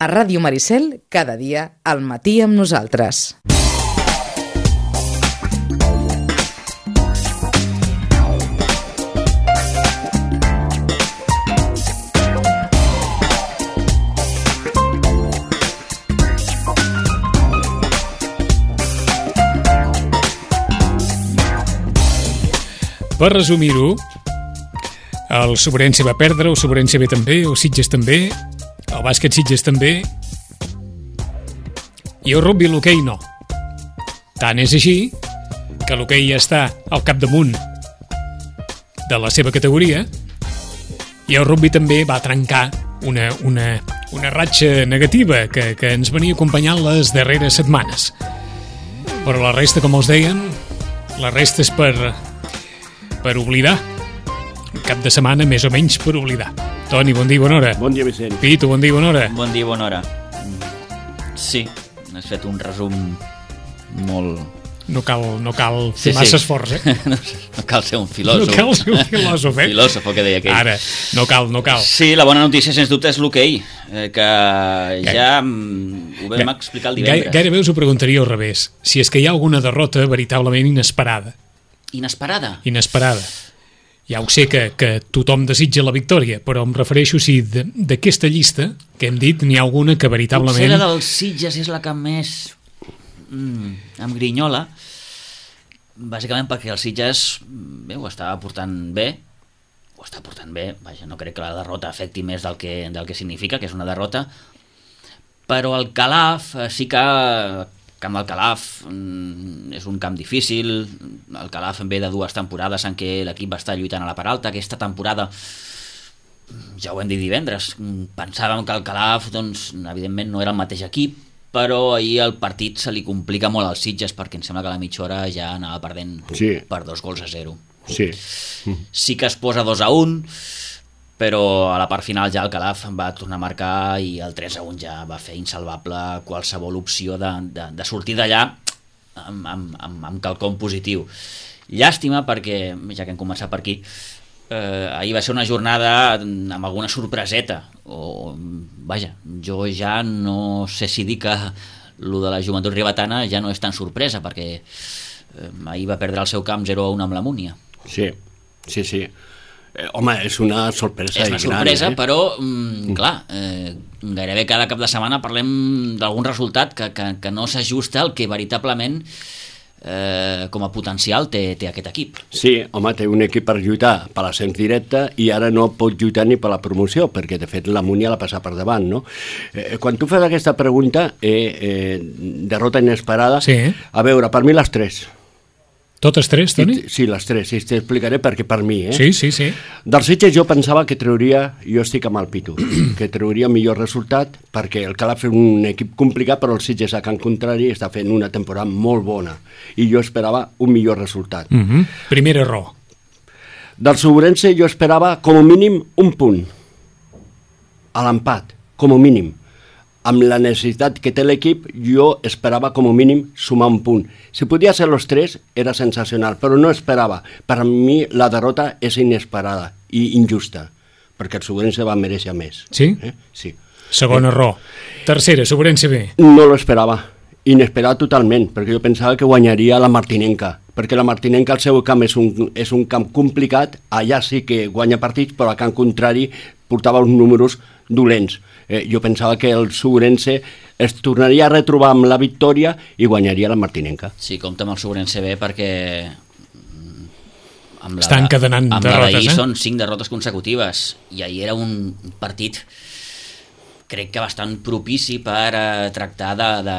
A Ràdio Maricel, cada dia, al matí amb nosaltres. Per resumir-ho, el Sobrense va perdre, el Sobrense B també, el Sitges també, el bàsquet Sitges també, i el rugby i l'hoquei no. Tant és així que l'hoquei ja està al capdamunt de la seva categoria i el rugby també va trencar una ratxa negativa que ens venia acompanyant les darreres setmanes. Però la resta, com els deien, la resta és per oblidar. Un cap de setmana més o menys per oblidar. Toni, bon dia i bona hora. Bon dia, Vicent. Pitu, bon dia i bona hora. Bon dia i bona hora. Sí, has fet un resum molt... No cal fer massa esforç, eh? No cal ser un filòsof. No cal ser un filòsof, eh? Filòsof, que deia aquell. Ara, no cal. Sí, la bona notícia, sens dubte, és l'hoquei, que ja ho vam explicar el divendres. Gairebé us ho preguntaria al revés. Si és que hi ha alguna derrota veritablement inesperada. Inesperada. Ja ho sé que tothom desitja la victòria, però em refereixo si d'aquesta llista que hem dit n'hi ha alguna que veritablement... Potser la dels Sitges és la que més em grinyola, bàsicament perquè el Sitges ho està portant bé, vaja, no crec que la derrota afecti més del que significa, que és una derrota, però el Calaf sí que... El camp del Calaf és un camp difícil. El Calaf ve de 2 temporades en què l'equip va estar lluitant a la part alta. Aquesta temporada, ja ho hem dit divendres, pensàvem que el Calaf, doncs, evidentment no era el mateix equip, però ahir el partit se li complica molt als Sitges perquè em sembla que a la mitja hora ja anava perdent per 2-0. Sí que es posa 2-1, però a la part final ja el Calaf va tornar a marcar i el 3-1 ja va fer insalvable qualsevol opció de sortir d'allà amb quelcom positiu. Llàstima perquè, ja que hem començat per aquí, ahir va ser una jornada amb alguna sorpreseta, vaja, jo ja no sé si dir que lo de la Joventut Ribetana ja no és tan sorpresa, perquè ahir va perdre el seu camp 0-1 amb la Múnia. Sí. Home, és una sorpresa. És una sorpresa, però, clar, gairebé cada cap de setmana parlem d'algun resultat que no s'ajusta al que veritablement com a potencial té aquest equip. Sí, home, té un equip per lluitar per l'ascens directe i ara no pot lluitar ni per la promoció, perquè de fet la Múnia la passa per davant, no? Quan tu fas aquesta pregunta, derrota inesperada, sí. A veure, per mi les 3. Totes 3, Toni? Sí, les 3, i t'explicaré perquè per mi, Sí. Dels Sitges jo pensava que trauria, jo estic amb el Pitu, que trauria millor resultat, perquè el Calaf és un equip complicat, però el Sitges a Can Contrari està fent una temporada molt bona, i jo esperava un millor resultat. Primer error. Del Sobrense jo esperava com a mínim un punt, a l'empat, com a mínim. Amb la necessitat que té l'equip, jo esperava com a mínim sumar un punt. Si podia ser els 3, era sensacional, però no esperava. Per a mi la derrota és inesperada i injusta, perquè el Sobrense va mereixer més. Sí? Sí. Segon error. Tercera, Sobrense B. No lo esperava. Inesperat totalment, perquè jo pensava que guanyaria la Martinenca, perquè la Martinenca al seu camp és un camp complicat, allà sí que guanya partits, però a Can Contrari portava uns números dolents. Jo pensava que el Sobrense es tornaria a retrobar amb la victòria i guanyaria la Martinenca. Sí, compta amb el Sobrense B perquè estan encadenant derrotes, són 5 derrotes consecutives i ahir era un partit crec que bastant propici per tractar de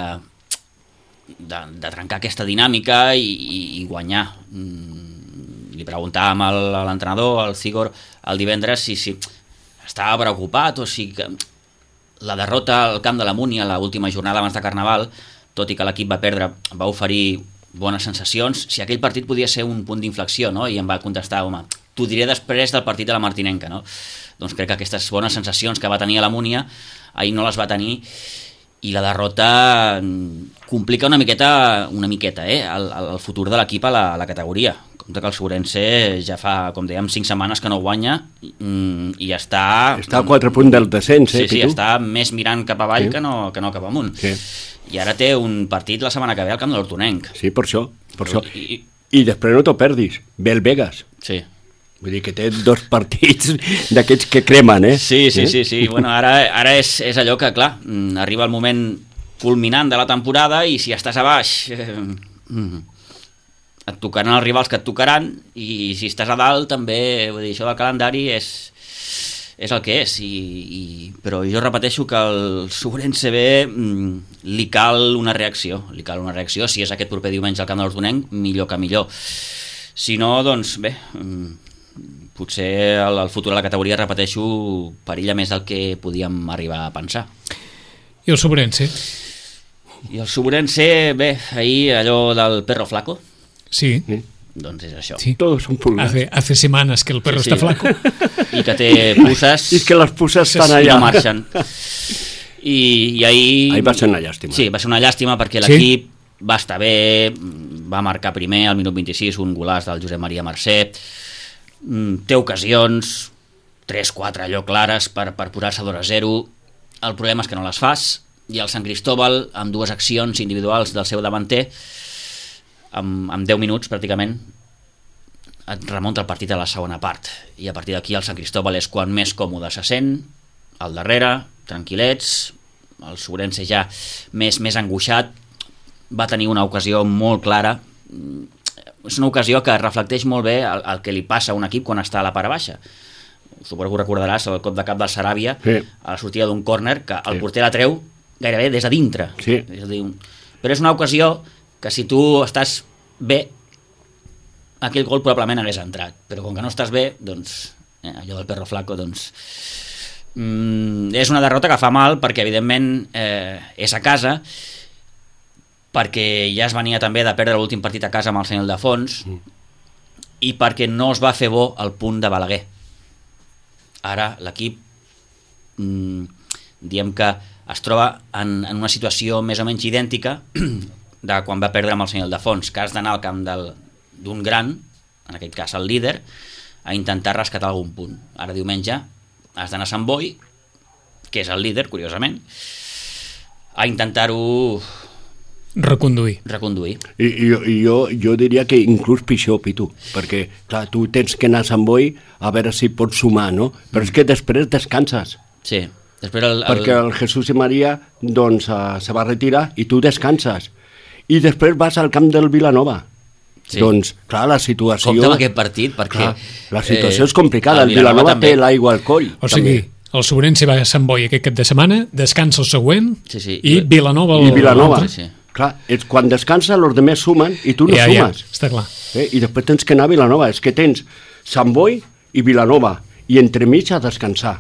trencar aquesta dinàmica i guanyar. Li preguntàvem a l'entrenador, al Cigor, el divendres si estava preocupat o si la derrota al camp de la Múnia a l'última jornada abans de Carnaval, tot i que l'equip va perdre, va oferir bones sensacions, si aquell partit podia ser un punt d'inflexió, no? I em va contestar, home, t'ho diré després del partit de la Martinenca, no? Doncs crec que aquestes bones sensacions que va tenir a la Múnia ahir no les va tenir i la derrota complica una miqueta el futur de l'equip a la categoria. Compte que el Sobrense ja fa, com dèiem, 5 setmanes que no guanya i està... Està a 4 punts del descens, Sí, Pitu? està més mirant cap avall que no cap amunt. Sí. I ara té un partit la setmana que ve al camp de l'Hortonenc. Sí, per això. I- I després no t'ho perdis, ve el Vegas. Sí. Vull dir que té 2 partits d'aquests que cremen, eh? Sí. Bueno, ara és allò que, clar, arriba el moment culminant de la temporada i si estàs a baix et tocaran els rivals que et tocaran i si estàs a dalt també, vull dir, això del calendari és el que és però jo repeteixo que al Sobrense B li cal una reacció, si és aquest proper diumenge al camp de l'Hortonenc, millor que millor, si no, doncs bé, potser el futur de la categoria, repeteixo, perilla més del que podíem arribar a pensar. I el Sobrense? I el Sobrense, bé, ahir allò del perro flaco, Sí. doncs és això. Sí. Todos son pulgas. Hace semanas que el perro Sí, está sí. flaco. I que té pusses I que les puces estan i allà. no marxen. I ahir... Ahir va ser una llàstima. Sí, va ser una llàstima perquè Sí. l'equip va estar bé, va marcar primer al minut 26 un golaç del Josep Maria Mercè, té ocasions 3-4 allò clares per posar-se 2-0, el problema és que no les fas, i el Sant Cristóbal amb 2 accions individuals del seu davanter amb 10 minuts pràcticament et remunta el partit a la segona part, i a partir d'aquí el Sant Cristóbal és quan més còmode se sent, al darrere, tranquil·lets, el Sobrense ja més angoixat, va tenir una ocasió molt clara, és una ocasió que reflecteix molt bé el que li passa a un equip quan està a la part baixa. Suposo que ho recordaràs, el cop de cap del Saràbia, Sí. a la sortida d'un córner, que el porter la treu gairebé des de dintre. Sí. És a dir, però és una ocasió que si tu estàs bé, aquell gol probablement hagués entrat, però com que no estàs bé, doncs, allò del perro flaco, doncs... és una derrota que fa mal perquè evidentment és a casa, perquè ja es venia també de perdre l'últim partit a casa amb el Sant Ildefons i perquè no es va fer bo el punt de Balaguer. Ara l'equip diem que es troba en una situació més o menys idèntica de quan va perdre amb el Sant Ildefons, que has d'anar al camp d'un gran, en aquest cas el líder, a intentar rescatar algun punt. Ara diumenge has d'anar a Sant Boi, que és el líder, curiosament, a intentar-ho Reconduir. I jo diria que inclús pitjor, Pitu, perquè, clar, tu tens que anar a Sant Boi a veure si pots sumar, no? Però és que després descanses, Sí, després perquè el Jesús i Maria, doncs, se va retirar i tu descanses. I després vas al camp del Vilanova. Sí. Doncs, clar, la situació... Compte amb aquest partit, perquè... Clar, la situació és complicada, el Vilanova Vilanova també. té l'aigua al coll. O sigui, el Sobrense va a Sant Boi aquest cap de setmana, descansa el següent Sí. i Vilanova... I Vilanova. l'altre. Sí. Clar, quan descansa, els altres sumen i tu no sumes. està clar. I després tens que anar a Vilanova. És que tens Sant Boi i Vilanova, i entremig a descansar.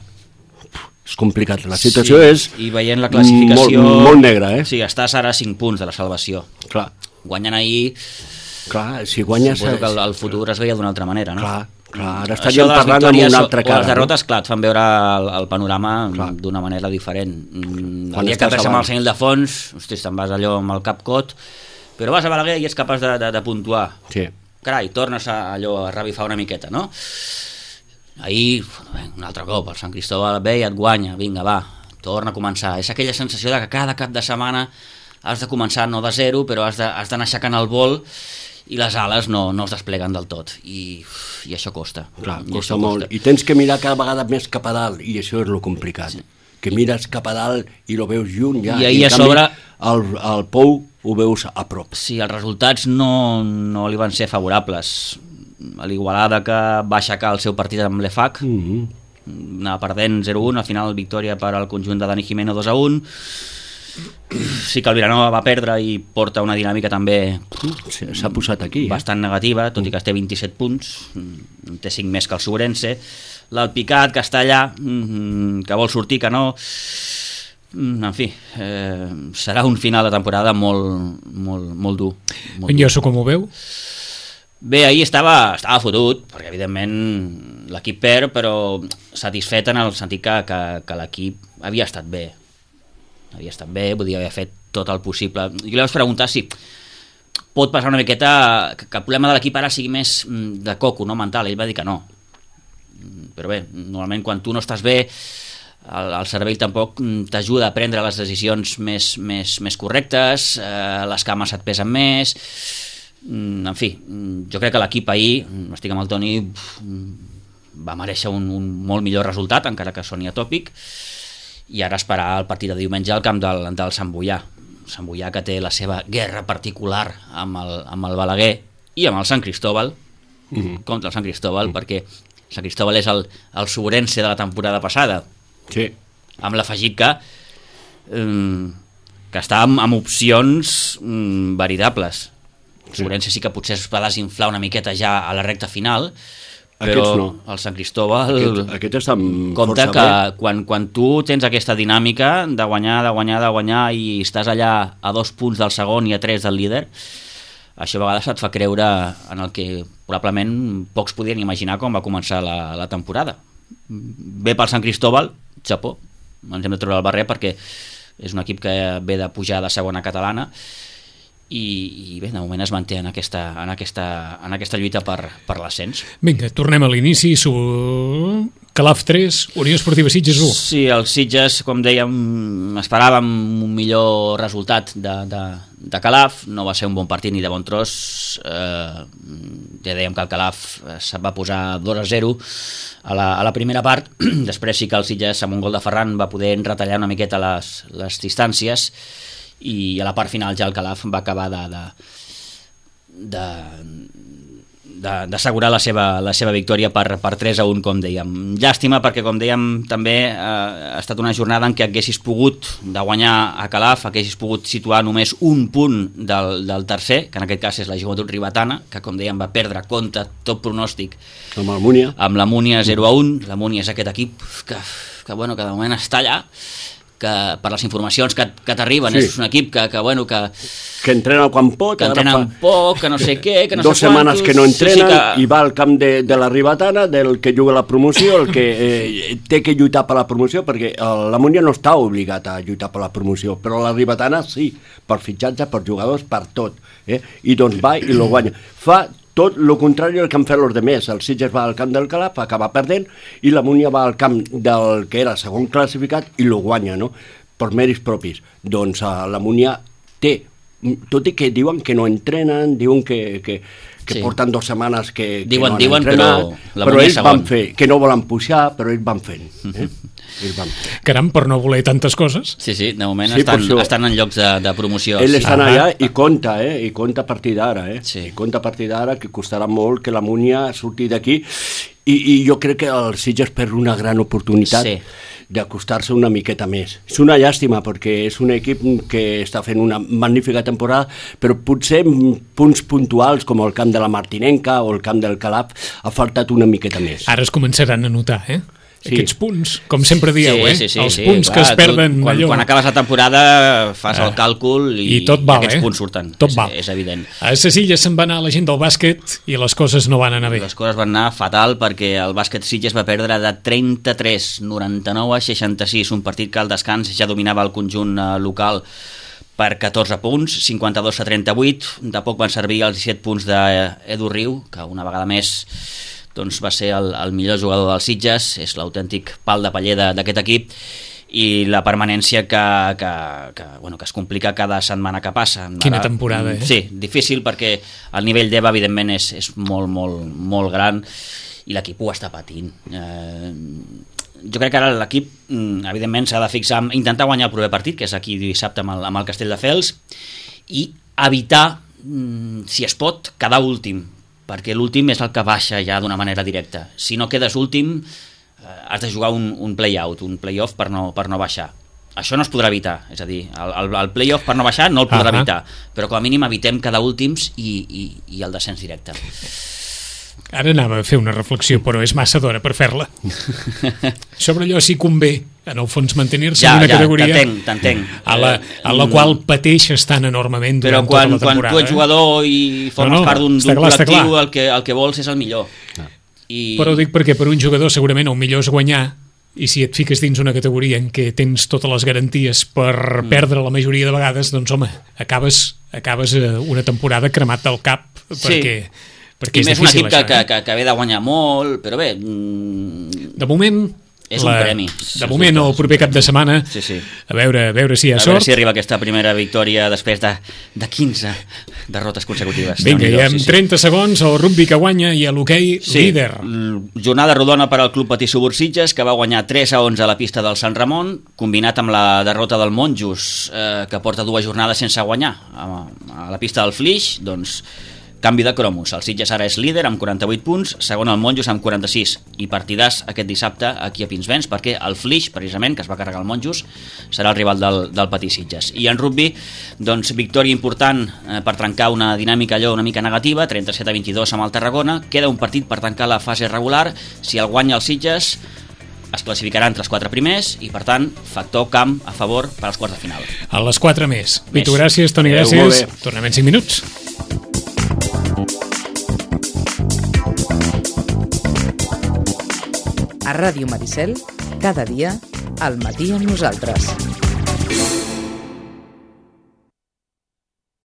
És complicat, la situació és I veient la classificació... molt negra, eh? Sí, estàs ara a 5 punts de la salvació. Clar, Guanyant ahir, si guanyes... suposo que el futur es veia d'una altra manera, no? Clar, ara Això estaríem de les parlant amb victòries una altra o cara. les derrotes, clar, et fan veure el panorama Clar. d'una manera diferent. Quan El dia que estàs perds amb davant. el Sant Ildefons, hostis, te'n vas allò amb el cap cot, però vas a Balaguer i ets capaç de puntuar. Sí. Carai, tornes a revifar una miqueta, no? Ahir, un altre cop, el Sant Cristóbal ve i et guanya, vinga, va, torna a començar. És aquella sensació de que cada cap de setmana has de començar no de zero, però has d'anar aixecant el vol i les ales no es despleguen del tot. I això costa. Clar, I costa això molt. I tens que mirar cada vegada més cap a dalt, i això és lo complicat. Sí. Que mires cap a dalt i lo veus lluny ja. I ahir en a canvi, sobre- el Pou ho veus a prop. Sí, els resultats no li van ser favorables. A l'Igualada, que va aixecar el seu partit amb l'EFAC, anava perdent 0-1, al final victòria per al conjunt de Dani Jimeno 2-1. Sí que el Vilanova va perdre i porta una dinàmica també S'ha posat aquí. bastant negativa, tot i que té 27 punts, en té 5 més que el Sobrense. L'Alpicat, que està allà, que vol sortir, que no... En fi, serà un final de temporada molt dur. Molt En dur. Josu, com ho veu? Bé, ahir estava fotut, perquè evidentment l'equip perd, però satisfet en el sentit que l'equip havia estat bé, podia haver fet tot el possible. Jo li vaig preguntar si pot passar una miqueta que el problema de l'equip ara sigui més de coco, no mental. Ell va dir que no, però bé, normalment quan tu no estàs bé el cervell tampoc t'ajuda a prendre les decisions més correctes, les cames et pesen més, en fi, jo crec que l'equip ahir, estic amb el Toni, va mereixer un molt millor resultat, encara que soni atòpic, i ara esperar el partit de diumenge al camp del Sant Boià. Sant Boià, que té la seva guerra particular amb el Balaguer i amb el Sant Cristóbal, contra el Sant Cristóbal, perquè Sant Cristóbal és el Sobrense de la temporada passada, sí, amb l'afegit que està amb opcions veritables. Sobrense sí que potser es va desinflar una miqueta ja a la recta final, però no. el Sant Cristóbal aquest està compta força que bé. quan tu tens aquesta dinàmica de guanyar i estàs allà a 2 punts del segon i a 3 del líder, això a vegades et fa creure en el que probablement pocs podien imaginar quan va començar la temporada. Bé pel Sant Cristóbal, xapó, ens hem de treure el barret perquè és un equip que ve de pujar de segona catalana i bé, de moment es manté en aquesta lluita per l'ascens. Vinga, tornem a l'inici. Calaf 3, Unió Esportiva Sitges 1. Sí, els Sitges, com dèiem, esperàvem un millor resultat de Calaf. No va ser un bon partit ni de bon tros. Ja dèiem que el Calaf se'n va posar 2-0 a la primera part. Després sí que el Sitges, amb un gol de Ferran, va poder retallar una miqueta les distàncies, i a la part final ja el Calaf va acabar d'assegurar la seva victòria per 3-1, com dèiem. Llàstima perquè, com dèiem, també ha estat una jornada en què haguessis pogut de guanyar a Calaf, haguessis pogut situar només un punt del tercer, que en aquest cas és la Joventut Ribetana, que com dèiem va perdre contra tot pronòstic amb la Múnia 0-1. La Múnia és aquest equip que de moment està allà, que per les informacions que t'arriben és un equip que entrena quan pot, que entrena poc, que no sé què, que no sé quantos... 2 setmanes que no entrenen i va al camp de la Ribetana, del que juga la promoció, el que té que lluitar per la promoció, perquè la Múnia no està obligat a lluitar per la promoció, però la Ribetana sí, per fitxatge, per jugadors, per tot, i doncs va i lo guanya. Fa tot el contrari del que han fet els demés. El Sitges va al camp del Calaf, acaba perdent, i la Múnia va al camp del que era segon classificat i lo guanya, no? Per mèrits propis. Doncs la Múnia té, tot i que diuen que no entrenen, diuen que porten 2 setmanes que no han entrenat, però ells van fer, que no volen pujar, però ells van fent. Caram, per no voler tantes coses. Sí, de moment estan en llocs de promoció. Ells estan allà i compta a partir d'ara, i compta a partir d'ara, que costarà molt que la Múnia surti d'aquí, i jo crec que el Sitges perd una gran oportunitat d'acostar-se una miqueta més. És una llàstima perquè és un equip que està fent una magnífica temporada, però potser punts puntuals com el camp de la Martinenca o el camp del Calaf ha faltat una miqueta més. Ara es començaran a notar, aquests punts, com sempre dieu, els punts clar, que es perden quan acabes la temporada fas el càlcul i tot val, aquests punts surten, és evident. A Sitges se'n va anar la gent del bàsquet i les coses no van anar bé. Les coses van anar fatal perquè el bàsquet Sitges va perdre de 33-99-66, un partit que al descans ja dominava el conjunt local per 14 punts, 52-38, de poc van servir els 17 punts d'Edu Riu, que una vegada més doncs va ser el millor jugador dels Sitges, és l'autèntic pal de paller d'aquest equip, i la permanència que es complica cada setmana que passa. Quina temporada, Sí, difícil perquè el nivell d'EVA evidentment és molt, molt, molt gran i l'equip ho està patint. Jo crec que ara l'equip evidentment s'ha de fixar en intentar guanyar el proper partit, que és aquí dissabte amb el Castelldefels, i evitar, si es pot, quedar últim, perquè l'últim és el que baixa ja d'una manera directa. Si no quedes últim, has de jugar un play-out, un play-off per no baixar. Això no es podrà evitar, és a dir, el play-off per no baixar no el podrà evitar, però com a mínim evitem quedar últims i el descens directe. Ara anava a fer una reflexió, però és massa d'hora per fer-la. Sobre allò si convé, en el fons, mantenir-se en una categoria t'entenc. A la qual pateixes tan enormement durant tota la temporada. Però quan tu ets jugador i formes part d'un col·lectiu, el que vols és el millor. Però ho dic perquè per un jugador segurament el millor és guanyar, i si et fiques dins una categoria en què tens totes les garanties per perdre la majoria de vegades, doncs home, acabes una temporada cremat del cap perquè i és més un difícil equip això, que ve de guanyar molt, però bé, de moment és un premi. De moment el proper cap de setmana Sí. a veure si hi ha A veure sort. si arriba aquesta primera victòria després de 15 derrotes consecutives. Vinga, Déu-n'hi-do, i amb 30 segons el rugby que guanya i l'hoquei líder. Jornada rodona per al Club Patí Subursitges, que va guanyar 3-11 a la pista del Sant Ramon, combinat amb la derrota del Monjos, que porta 2 jornades sense guanyar a la pista del Flix. Doncs canvi de cromos, el Sitges ara és líder amb 48 punts, segon el Monjos amb 46, i partidàs aquest dissabte aquí a Pinsbens, perquè el Flix, precisament, que es va carregar el Monjos, serà el rival del Patí Sitges. I en rugby, doncs, victòria important per trencar una dinàmica allò una mica negativa, 37-22 amb el Tarragona, queda un partit per tancar la fase regular, si el guanya el Sitges es classificarà entre els 4 primers i, per tant, factor camp a favor per als quarts de final. A les 4 més. Pitu, gràcies, Toni, gràcies. Tornem en 5 minuts. A Ràdio Maricel, cada dia, al matí amb nosaltres.